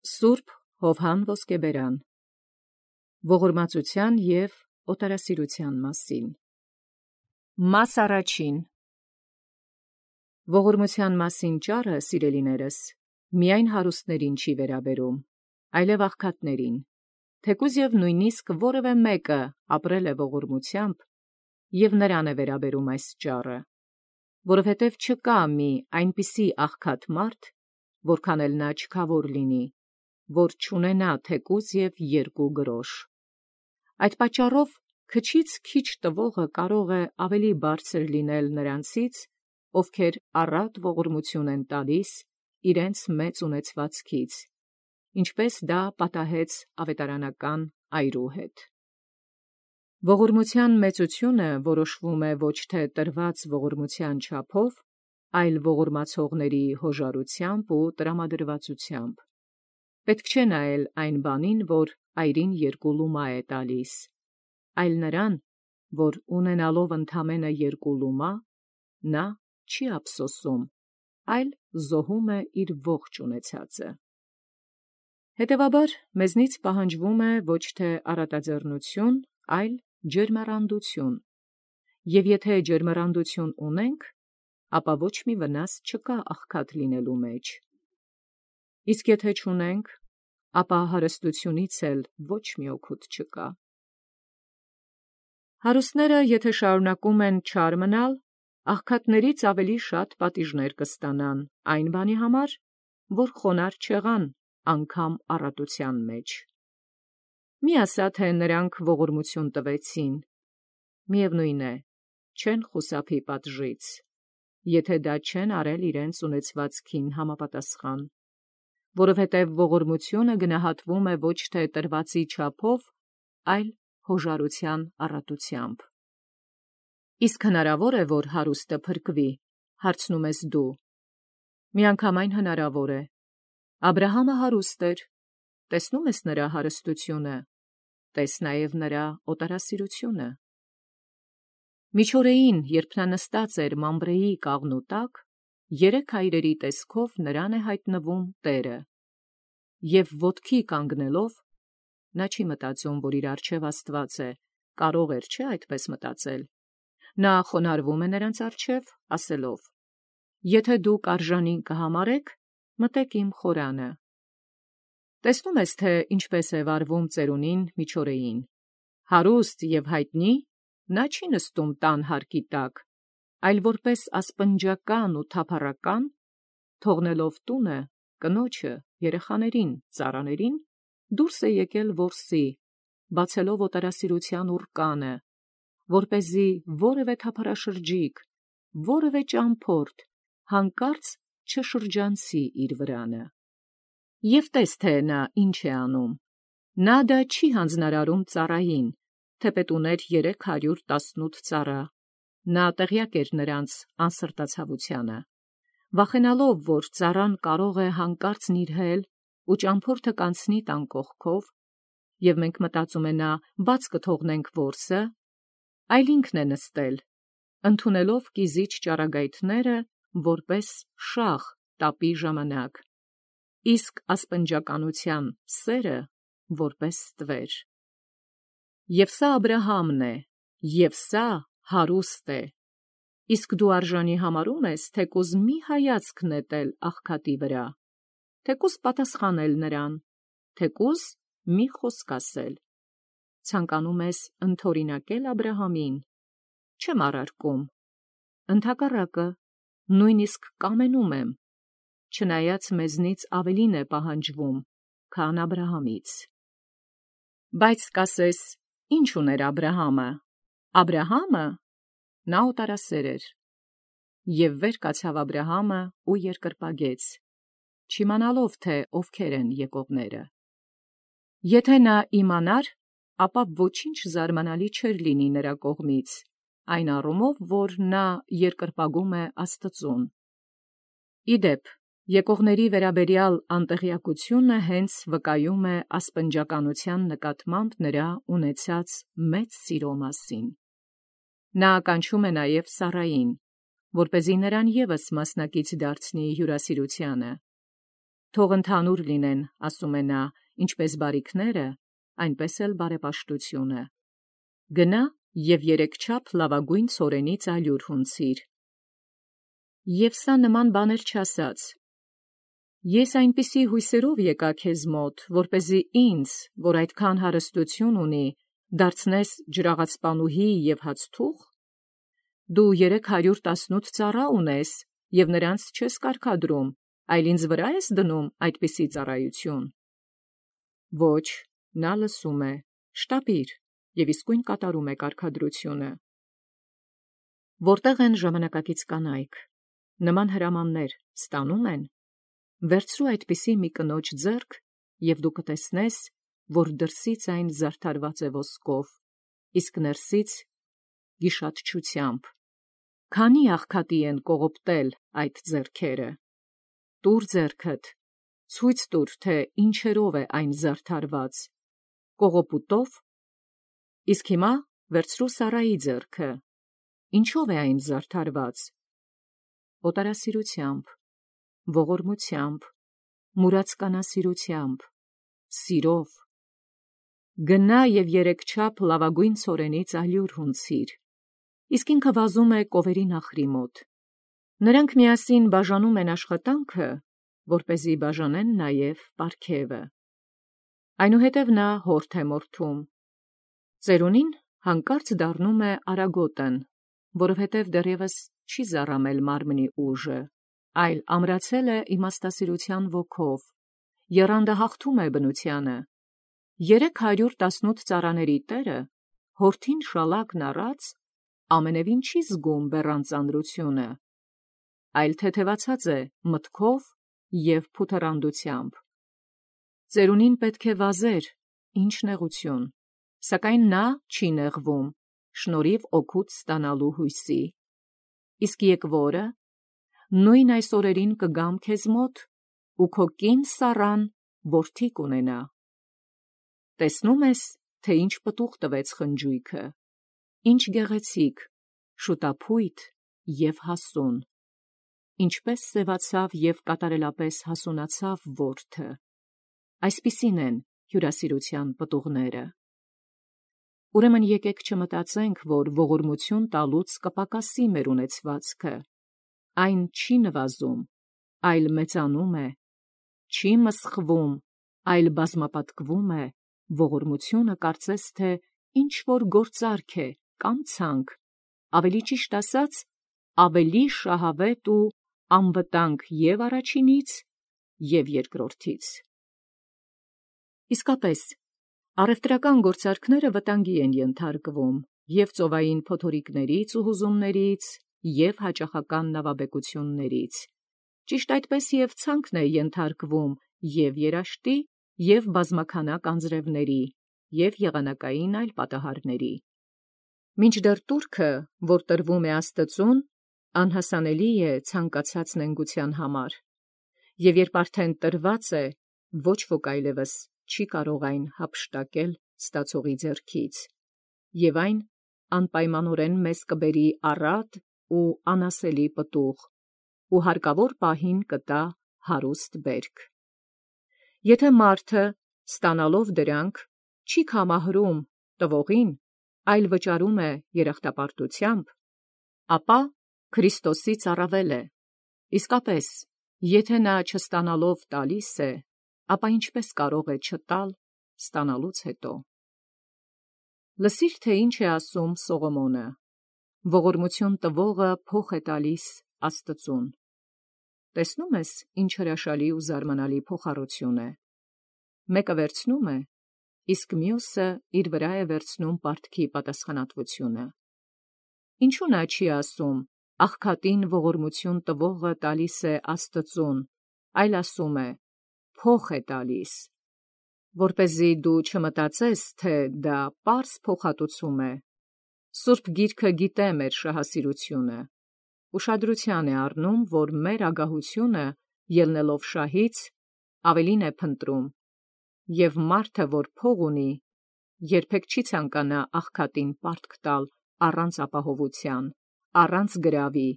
Սուրբ Հովհան Ոսկեբերան ողորմածության և օտարասիրության մասին Մաս առաջին ողորմության մասին ճառը, սիրելիներս, միայն հարուստներին չի վերաբերում, այլև աղքատներին, թեկուզ և նույնիսկ որևէ մեկը ապրել է ողորմությամբ, և նրան է վերաբերում այս ճառը, որովհետև չկա մի այնպիսի աղքատ մարդ, որքան էլ նա չքավոր լինի, որ չունենա թեկուզ և երկու գրոշ։ Այդ պատճառով քչից քիչ տվողը կարող է ավելի բարձր լինել նրանցից, ովքեր առատ ողորմություն են տալիս իրենց մեծ ունեցվածքից, ինչպես դա պատահեց ավետարանական այրու հետ։ Ողորմության մեծությունը որոշվում է ոչ թե տրված ողորմության չափով, այլ ողորմացողների հոժարությամբ ու տրամադրվածությամբ։ Պետք չէ նայել այն բանին, որ այրին երկու լումա է տալիս, այլ նրան, որ ունենալով ընդամենը երկու լումա, նա չի ափսոսում, այլ զոհում է իր ողջ ունեցածը։ Հետևաբար, մեզնից պահանջվում է ոչ թե առատաձեռնություն, այլ ջերմեռանդություն, և եթե ջերմեռանդություն ունենք, ապա ոչ մի վնաս չկա աղքատ լինելու մեջ։ Իսկ եթե չունենք, ապա հարստությունից էլ ոչ մի օգուտ չկա։ Հարուստները, եթե շարունակում են չար մնալ, աղքատներից ավելի շատ պատիժներ կստանան այն բանի համար, որ խոնարհ չեղան անգամ առատության մեջ։ Մի ասա, թե նրանք ողորմություն տվեցին, միևնույն է, չեն խուսափի պատժից, եթե դա չեն արել իրենց ունեցվածքին համապատասխան, որովհետև ողորմությունը գնահատվում է ոչ թե տրվածի չափով, այլ հոժարության առատությամբ։ Իսկ հնարավոր է, որ հարուստը փրկվի, հարցնում ես դու։ Միանգամայն հնարավոր է։ Աբրահամը հարուստ էր, տեսնում ես նրա հարստությունը, տես նաև նրա օտարասիրությունը։ Միջօրեին, երբ նա նստած էր մամբրեի կաղնու տակ, երեք հայրերի տեսքով նրան է հայտնվում Տերը, և ոտքի կանգնելով, նա չի մտածում, որ իր առջև Աստված է, կարող էր չէ՞ այդպես մտածել։ Նա խոնարհվում է նրանց առջև, ասելով. «Եթե դուք արժանի կհամարեք, մտեք իմ խորանը»։ Տեսնում ես, թե ինչպես է վարվում ծերունին միջօրեին։ Հարուստ և հայտնի, նա չի նստում տան հարկի տակ, այլ որպես ասպնջական ու թափառական, թողնելով տունը, կնոջը, երեխաներին, ծառաներին, դուրս է եկել որսի, բացելով օտարասիրության ուռկանը, որպեսզի որևէ թափառաշրջիկ, որևէ ճամփորդ հանկարծ չշրջանցի իր վրանը։ Եվ տես, թե նա ինչ է անում. նա դա չի հանձնարարում ծառային, թեպետ ուներ 318 ծառա, նա տեղյակ էր նրանց անսրտացավությանը, վախենալով, որ ծառան կարող է հանկարծ նիրհել ու ճամփորդը կանցնի տան կողքով, և մենք մտածում է նա բաց կթողնենք որսը, այլ ինքն է նստել, ընդունելով կիզիչ ճառագայթները որպես շաղ տապի ժամանակ, իսկ ասպնջականության սերը որպես ստվեր։ Եվ սա Աբրահամն է, և սա հարուստ է, իսկ դու արժանի համարում ես թեկուզ մի հայացք նետել աղքատի վրա, թեկուզ պատասխանել նրան, թեկուզ մի խոսք ասել։ Ցանկանում ես ընդօրինակել Աբրահամին, չեմ առարկում, ընդհակառակը, նույնիսկ կամենում եմ, չնայած մեզնից ավելին է պահանջվում, քան Աբրահամից։ Բայց կասես, ի՞նչ ուներ Աբրահամը։ Աբրահամը, նա օտարասեր էր։ Եվ վեր կացավ Աբրահամը ու երկրպագեց, չիմանալով, թե ովքեր են եկողները։ Եթե նա իմանար, ապա ոչինչ զարմանալի չէր լինի նրա կողմից, այն առումով, որ նա երկրպագում է Աստծուն։ Ի դեպ, եկողների վերաբերյալ անտեղյակությունը հենց վկայում է ասպնջականության նկատմամբ նրա ունեցած մեծ սիրո մասին։ Նա ականչում է նաև Սառային, որպեսզի նրան ևս մասնակից դարձնի հյուրասիրությանը։ թող ընդհանուր լինեն, ասում է նա, ինչպես բարիքները, այնպես էլ բարեպաշտությունը։ Գնա և երեքչափ լավագույն ցորենից ալյուր հունցիր։ Եվ սա նման բաներ չասաց. Ես այնպիսի հույսերով եկա քեզ մոտ, որպեսզի ինձ, որ այդքան հարստություն ունի, դարձնես ջրաղացպանուհի և հացթուղ։ Դու 318 ծառա ունես, և նրանց չես կարգադրում, այլ ինձ վրա ես դնում այդպիսի ծառայություն։ Ոչ, նա լսում է, շտապիր, և իսկույն կատարում է կարգադրությունը։ Որտեղ են ժամանակակից կանայք, նման հրամաններ ստանում են, վերցրու այդպիսի մի կնոջ ձեռք, և դու կտեսնես, որ դրսից այն զարդարված է ոսկով, իսկ ներսից գիշատչությամբ։ Քանի աղքատի են կողոպտել այդ ձեռքերը։ Տուր ձեռքդ, ցույց տուր, թե ինչերով է այն զարդարված, կողոպուտով։ Իսկ հիմա վերցրու Սարայի ձեռքը, ինչով է այն զարդարված։ Օտարասիրությամբ, ողորմությամբ, մուրացկանասիրությամբ, սիրով։ Գնա և երեքչափ լավագույն ցորենից ալյուր հունցիր։ Իսկ ինքը վազում է կովերի նախրի մոտ։ Նրանք միասին բաժանում են աշխատանքը, որպեսզի բաժանեն նաև պարգևը։ Այնուհետև նա հորդ է մորթում։ Ծերունին հանկարծ դառնում է արագոտն, որովհետև դեռևս չի զառամել մարմնի ուժը, այլ ամրացել է իմաստասիրության ոգով, եռանդը հաղթում է բնությանը։ 318 ծառաների տերը, հորթին շալակն առած, ամենևին չի զգում բեռան ծանրությունը, այլ թեթևացած է մտքով և փութռանդությամբ։ Ծերունին պետք է վազեր, ինչ նեղություն, սակայն նա չի նեղվում, շնորհիվ օգուտ ստանալու հույսի։ Իսկ եկվորը, նույն այս օրերին կգամ քեզ մոտ, ու քո կին Սառան որդի կունենա։ Տեսնում ես, թե ինչ պտուղ տվեց խնջույքը, ինչ գեղեցիկ, շուտափույթ և հասուն, ինչպես սևացավ և կատարելապես հասունացավ որդը։ Այսպիսին են հյուրասիրության պտուղները։ Ուրեմն եկեք չմտածենք, որ ողորմություն տալուց կպակասի մեր ունեցվածքը, այն չի նվազում, այլ մեծանում է, չի մսխվում, այլ բազմապատկվում է, ողորմությունը կարծես թե ինչ-որ գործարք է կամ ցանկ, ավելի ճիշտ ասած, ավելի շահավետ ու անվտանգ և առաջինից, և երկրորդից։ Իսկապես, առևտրական գործարքները վտանգի են ենթարկվում և ծովային փոթորիկներից ու հուզումներից, և հաճախական նավաբեկություններից, ճիշտ այդպես և ցանկն է ենթարկվում և երաշտի, և բազմաքանակ անձրևների, և եղանակային այլ պատահարների։ Մինչդեռ տուրքը, որ տրվում է Աստծուն, անհասանելի է ցանկացած նենգության համար, և երբ արդեն տրված է, ոչ ոք այլևս չի կարող այն հափշտակել ստացողի ձեռքից, և այն անպայմանորեն մեզ կբերի առատ ու անասելի պտուղ, ու հարկավոր պահին կտա հարուստ բերք։ Եթե մարդը, ստանալով դրանք, չի կամահրում տվողին, այլ վճարում է երախտապարտությամբ, ապա Քրիստոսից առավել է։ Իսկապես, եթե նա չստանալով տալիս է, ապա ինչպես կարող է չտալ ստանալուց հետո։ Լսիր, թե ինչ է ասում Սողոմոնը. ողորմություն տվողը փոխ է տալիս Աստծուն։ Տեսնում ես, ինչ հրաշալի ու զարմանալի փոխառություն է։ Մեկը վերցնում է, իսկ մյուսը իր վրա է վերցնում պարտքի պատասխանատվությունը։ Ինչու նա չի ասում. աղքատին ողորմություն տվողը տալիս է Աստծուն, այլ ասում է. փոխ է տալիս, որպեսզի դու չմտածես, թե դա պարզ փոխհատուցում է։ Սուրբ Գիրքը գիտե մեր շահասիրությունը, ուշադրության է առնում, որ մեր ագահությունը, ելնելով շահից, ավելին է փնտրում, և մարդը, որ փող ունի, երբեք չի ցանկանա աղքատին պարտք տալ առանց ապահովության, առանց գրավի,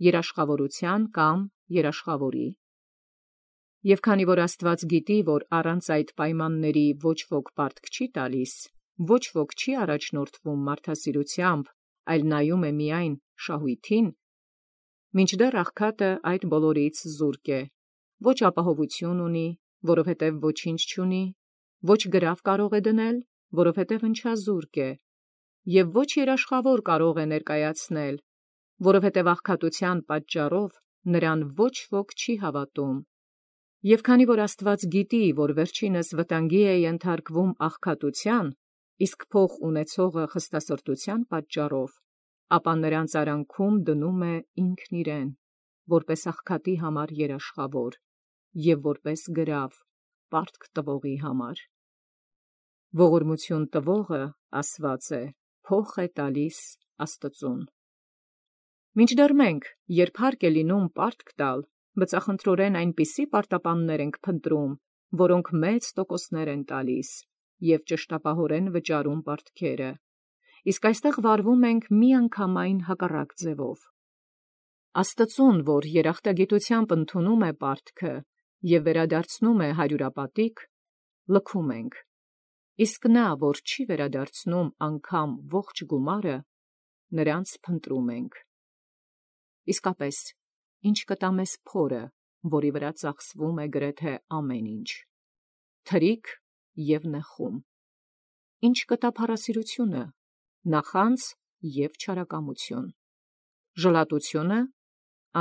երաշխավորության կամ երաշխավորի։ Եվ քանի որ Աստուած գիտի, որ առանց այդ պայմանների ոչ ոք պարտք չի տալիս, ոչ ոք չի առաջնորդվում մարդասիրությամբ, այլ նայում է միայն շահույթին, մինչդեռ աղքատը այդ բոլորից զուրկ է, ոչ ապահովություն ունի, որովհետև ոչինչ չունի, ոչ գրավ կարող է դնել, որովհետև ընչազուրկ է, և ոչ երաշխավոր կարող է ներկայացնել, որովհետև աղքատության պատճառով նրան ոչ ոք չի հավատում։ Եվ քանի որ Աստուած գիտի, որ վերջինս վտանգի է ենթարկվում աղքատության, իսկ փող ունեցողը խստասրտության պատճառով, ապա նրանց արանքում դնում է ինքն իրեն, որպես աղքատի համար երաշխավոր և որպես գրավ պարտք տվողի համար։ Ողորմություն տվողը, ասված է, փոխ է տալիս Աստծուն։ Մինչդեռ մենք, երբ հարկ է լինում պարտք տալ, բծախնդրորեն այնպիսի պարտապաններ ենք փնտրում, որոնք մեծ տոկոսներ են տալիս և ճշտապահորեն վճարում պարտքերը, իսկ այստեղ վարվում ենք միանգամայն հակառակ ձևով։ Աստծուն, որ երախտագիտությամբ ընդունում է պարտքը և վերադարձնում է հարյուրապատիկ, լքում ենք, իսկ նա, որ չի վերադարձնում անգամ ողջ գումարը, նրանց փնտրում ենք։ Իսկապես, ինչ կտա մեզ փորը, որի վրա ծախսվում է գրեթե ամեն ինչ, թրիք և նեխում, ինչ կտա փառասիրությունը, նախանձ և չարակամություն, ժլատությունը,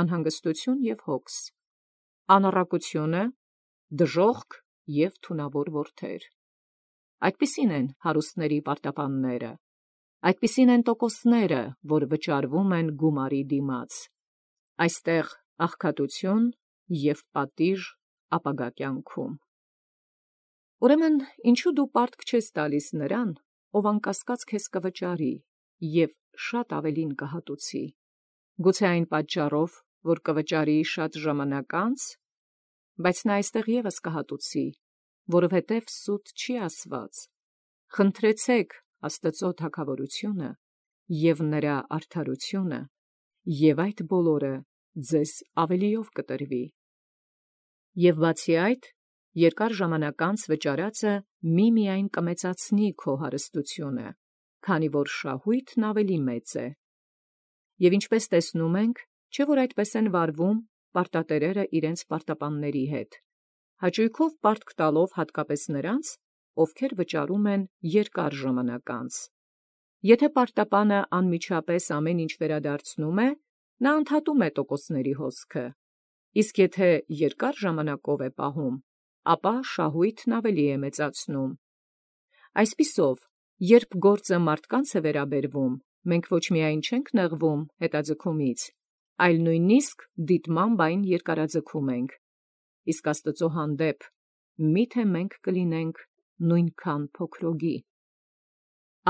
անհանգստություն և հոգս, անառակությունը, դժոխք և թունավոր որդեր։ Այդպիսին են հարուստների պարտապանները, այդպիսին են տոկոսները, որ վճարվում են գումարի դիմաց, այստեղ աղքատություն և պատիժ ապագա կյանքում։ Ուրեմն ինչու դու պարտք չես տալիս նրան, ով անկասկած քեզ կվճարի և շատ ավելին կհատուցի, գուցե այն պատճառով, որ կվճարի շատ ժամանակ անց, բայց նա այստեղ ևս կհատուցի, որովհետև սուտ չի ասված. խնդրեցեք Աստծո թագավորությունը և նրա արդարությունը, և այդ բոլորը ձեզ ավելիով կտրվի։ Եվ բացի այդ, երկար ժամանակ անց վճարածը միմիայն կմեծացնի քո հարստությունը, քանի որ շահույթն ավելի մեծ է։ Եվ ինչպես տեսնում ենք, չէ՞ որ այդպես են վարվում պարտատերերը իրենց պարտապանների հետ, հաճույքով պարտք տալով հատկապես նրանց, ովքեր վճարում են երկար ժամանակ անց։ Եթե պարտապանը անմիջապես ամեն ինչ վերադարձնում է, նա ընդհատում է տոկոսների հոսքը, իսկ եթե երկար ժամանակով է պահում, ապա շահույթն ավելի է մեծացնում։ Այսպիսով, երբ գործը մարդկանց է վերաբերվում, մենք ոչ միայն չենք նեղվում հետաձգումից, այլ նույնիսկ դիտմամբ այն երկարաձգում ենք, իսկ Աստծո հանդեպ միթե մենք կլինենք նույնքան փոքրոգի։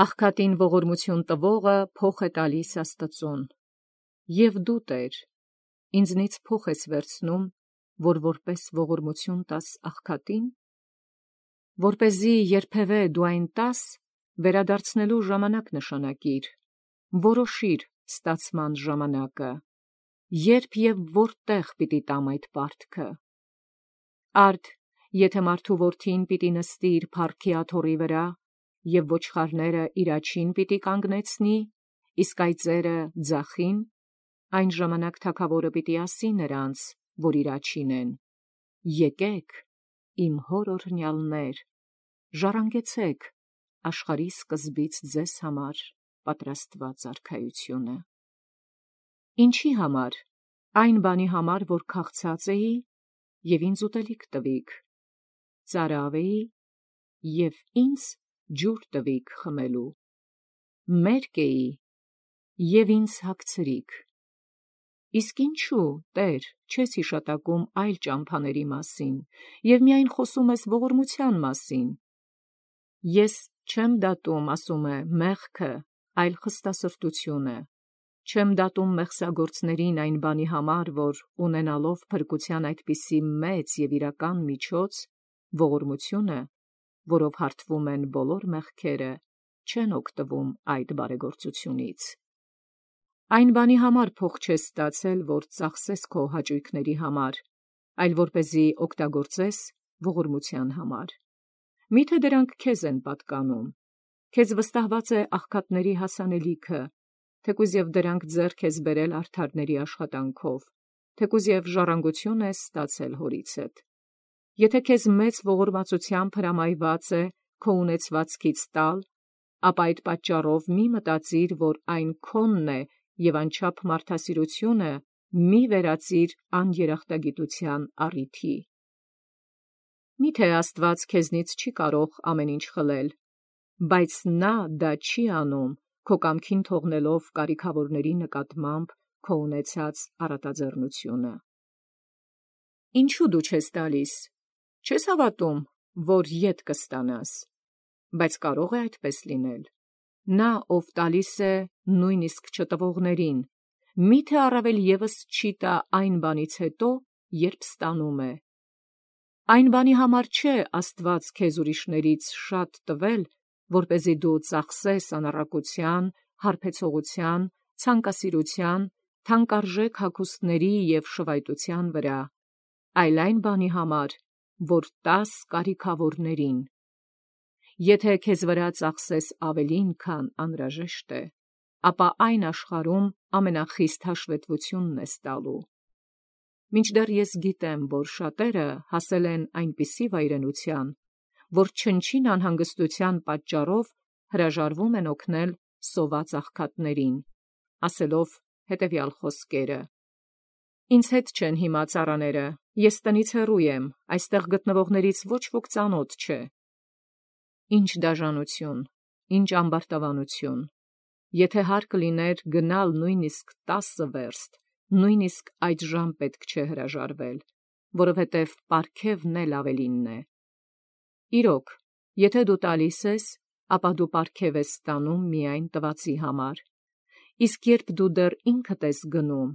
Աղքատին ողորմություն տվողը փոխ է տալիս Աստծուն։ Եվ դու, Տեր, ինձնից փոխ ես վերցնում, որ որպես ողորմություն տաս աղքատին, որպեսզի երբևէ դու այն տաս, վերադարձնելու ժամանակ նշանակիր, որոշիր ստացման ժամանակը, երբ և որտեղ պիտի տամ այդ պարտքը։ Արդ, եթե մարդու որդին պիտի նստի իր փառքի աթոռի վրա, և ոչխարները իր աջին պիտի կանգնեցնի, իսկ այծերը ձախին, այն ժամանակ թագավորը պիտի ասի նրանց, որ իր աջին են. եկեք, իմ հոր օրհնյալներ, ժառանգեցեք աշխարհի սկզբից ձեզ համար պատրաստված արքայությունը։ Ինչի համար, այն բանի համար, որ քաղցած էի, և ինձ ուտելիք տվիք, ծարավ էի, և ինձ ջուր տվիք խմելու, մերկ էի, և ինձ հագցրիք։ Իսկ ինչու, Տեր, չես հիշատակում այլ ճամփաների մասին, և միայն խոսում ես ողորմության մասին։ Ես չեմ դատում, ասում է, մեղքը, այլ խստասրտությունը, չեմ դատում մեղսագործներին այն բանի համար, որ ունենալով փրկության այդպիսի մեծ և իրական միջոց, ողորմությունը, որով հարթվում են բոլոր մեղքերը, չեն օգտվում այդ բարեգործությունից։ Այն բանի համար փող չես ստացել, որ ծախսես քո հաճույքների համար, այլ որպեսզի օգտագործես ողորմության համար։ Միթե դրանք քեզ են պատկանում, քեզ վստահված է աղքատների հասանելիքը, թեկուզ և դրանք ձեռք ես բերել արդարների աշխատանքով, թեկուզ և ժառանգություն ես ստացել հորիցդ։ Եթե քեզ մեծ ողորմածությամբ հրամայված է քո ունեցվածքից տալ, ապա այդ պատճառով մի մտածիր, որ այն քոնն է և անչափ մարդասիրությունը մի վերածիր աներախտագիտության առիթի։ Միթե Աստված քեզնից չի կարող ամեն ինչ խլել, բայց նա դա չի անում քո կամքին թողնելով կարիքավորների նկատմամբ քո ունեցած առատաձեռնությունը։ Ինչու դու չես տալիս, չես հավատում, որ ետ կստանաս, բայց կարող է այդպես լինել։ Նա, ով տալիս է նույնիսկ չտվողներին, միթե առավել ևս չի տա այն բանից հետո, երբ ստանում է։ Այն բանի համար չէ Աստված քեզ ուրիշներից շատ տվել, որպեսզի դու ծախսես անառակության, հարբեցողության, ցանկասիրության, թանկարժեք հագուստների և շվայտության վրա, այլ այն բանի համար, որ տաս կարիքավորներին։ Եթե քեզ վրա ծախսես ավելին, քան անհրաժեշտ է, ապա այն աշխարհում ամենախիստ հաշվետվությունն ես տալու։ Մինչդեռ ես գիտեմ, որ շատերը հասել են այնպիսի վայրենության, որ չնչին անհանգստության պատճառով հրաժարվում են օգնել սոված աղքատներին, ասելով հետևյալ խոսքերը. «Ինձ հետ չեն հիմա ծառաները, ես տնից հեռու եմ, այստեղ գտնվողներից ոչ ոք ծանոթ չէ»։ Ինչ դաժանություն, ինչ ամբարտավանություն։ Եթե հարկ լիներ գնալ նույնիսկ 10 վերստ, նույնիսկ այդժամ պետք չէ հրաժարվել, որովհետև պարգևն էլ ավելինն է։ Իրոք, եթե դու տալիս ես, ապա դու պարգև ես ստանում միայն տվածի համար, իսկ երբ դու դեռ ինքդ ես գնում,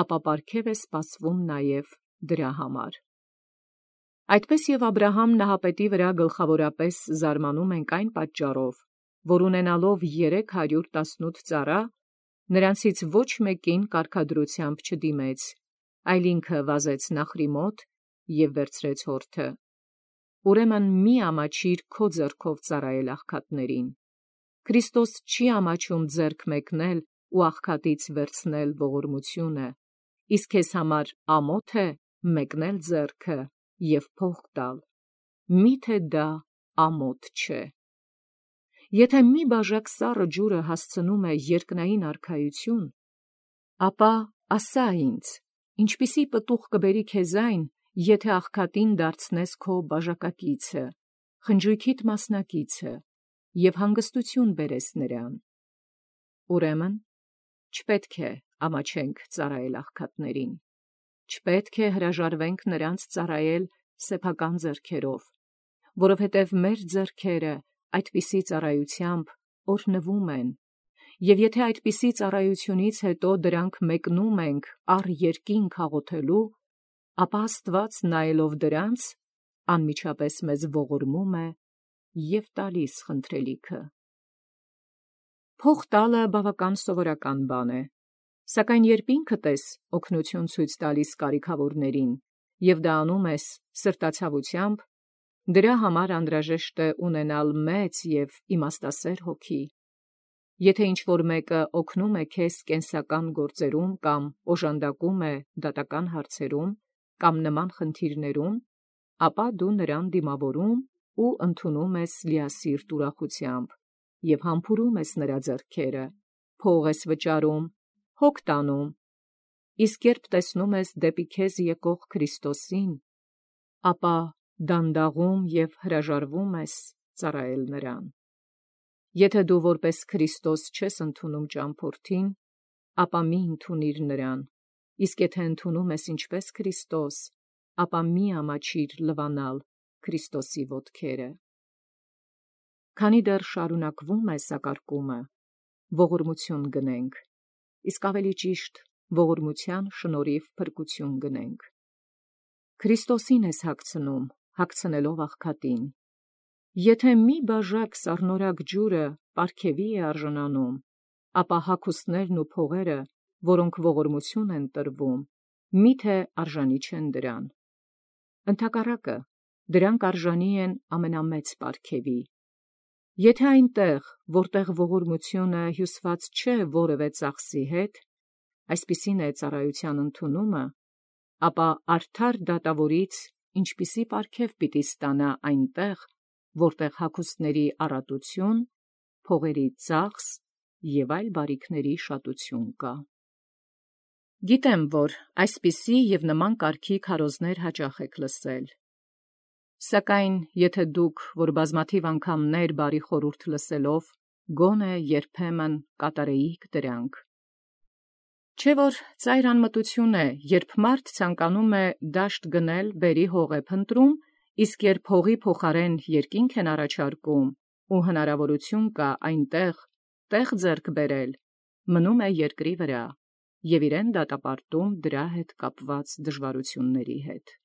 ապա պարգև է սպասվում նաև դրա համար։ Այդպես և Աբրահամ նահապետի վրա գլխավորապես զարմանում ենք այն պատճառով, որ ունենալով 318 ծառա, նրանցից ոչ մեկին կարգադրությամբ չդիմեց, այլ ինքը վազեց Նախրի մոտ և վերցրեց հորթը։ Ուրեմն մի ամաչիր քո ձեռքով ծառայել աղքատներին։ Քրիստոս չի ամաչում ձեռք մեկնել ու աղքատից վերցնել ողորմությունը, իսկ քեզ համար ամոթ է մեկնել ձեռքը և փող տալ։ Միթե դա ամոթ չէ։ Եթե մի բաժակ սառը ջուրը հասցնում է երկնային արքայություն, ապա ասա ինձ, ինչպիսի պտուղ կբերի քեզ այն, եթե աղքատին դարձնես քո բաժակակիցը, խնջույքիդ մասնակիցը և հանգստություն բերես նրան։ Ուրեմն չպետք է ամաչենք ծառայել աղքատներին, չպետք է հրաժարվենք նրանց ծառայել սեփական ձեռքերով, որովհետև մեր ձեռքերը այդպիսի ծառայությամբ օրհնվում են, և եթե այդպիսի ծառայությունից հետո դրանք մեկնում ենք առ երկինք աղոթելու, ապա Աստված նայելով դրանց, անմիջապես մեզ ողորմում է և տալիս խնդրելիքը։ Փող տալը բավական սովորական բան է, սակայն երբ ինքդ ես օգնություն ցույց տալիս կարիքավորներին և դա անում ես սրտացավությամբ, դրա համար անհրաժեշտ է ունենալ մեծ և իմաստասեր հոգի։ Եթե ինչ-որ մեկը օգնում է քեզ կենսական գործերում կամ օժանդակում է դատական հարցերում կամ նման խնդիրներում, ապա դու նրան դիմավորում ու ընդունում ես լիասիրտ ուրախությամբ և համբուրում ես նրա ձեռքերը, փող ես վճարում, հոգ տանում, իսկ երբ տեսնում ես դեպի քեզ եկող Քրիստոսին, ապա դանդաղում և հրաժարվում ես ծառայել նրան։ Եթե դու որպես Քրիստոս չես ընդունում ճամփորդին, ապա մի ընդունիր նրան, իսկ եթե ընդունում ես ինչպես Քրիստոս, ապա մի ամաչիր լվանալ Քրիստոսի ոտքերը։ Քանի դեռ շարունակվում է սակարկումը, ողորմություն գնենք, իսկ ավելի ճիշտ ողորմության շնորհիվ փրկություն գնենք։ Քրիստոսին ես հագցնում, հագցնելով աղքատին։ Եթե մի բաժակ սառնորակ ջուրը պարգևի է արժանանում, ապա հագուստներն ու փողերը, որոնք ողորմություն են տրվում, միթե արժանի չեն դրան։ Ընդհակառակը, դրանք արժանի են ամենամեծ պարգևի։ Եթե այնտեղ, որտեղ ողորմությունը հյուսված չէ որևէ ծախսի հետ, այսպիսին է ծառայության ընդունումը, ապա արդար դատավորից ինչպիսի պարգև պիտի ստանա այնտեղ, որտեղ հագուստների առատություն, փողերի ծախս և այլ բարիքների շատություն կա։ Գիտեմ, որ այսպիսի և նման կարգի քարոզներ հաճախ եք լսել. Սակայն եթե դուք, որ բազմաթիվ անգամներ բարի խորհուրդ լսելով, գոնե երբեմն կատարեիք դրանք։ Չէ՞ որ ծայր անմտություն է, երբ մարդ ցանկանում է դաշտ գնել բերի հող է փնտրում, իսկ երբ հողի փոխարեն երկինք են առաջարկում, ու հնարավորություն կա այնտեղ տեղ ձեռք բերել, մնում է երկրի վրա և իրեն դատապարտում դրա հետ կապված դժվարությունների հետ։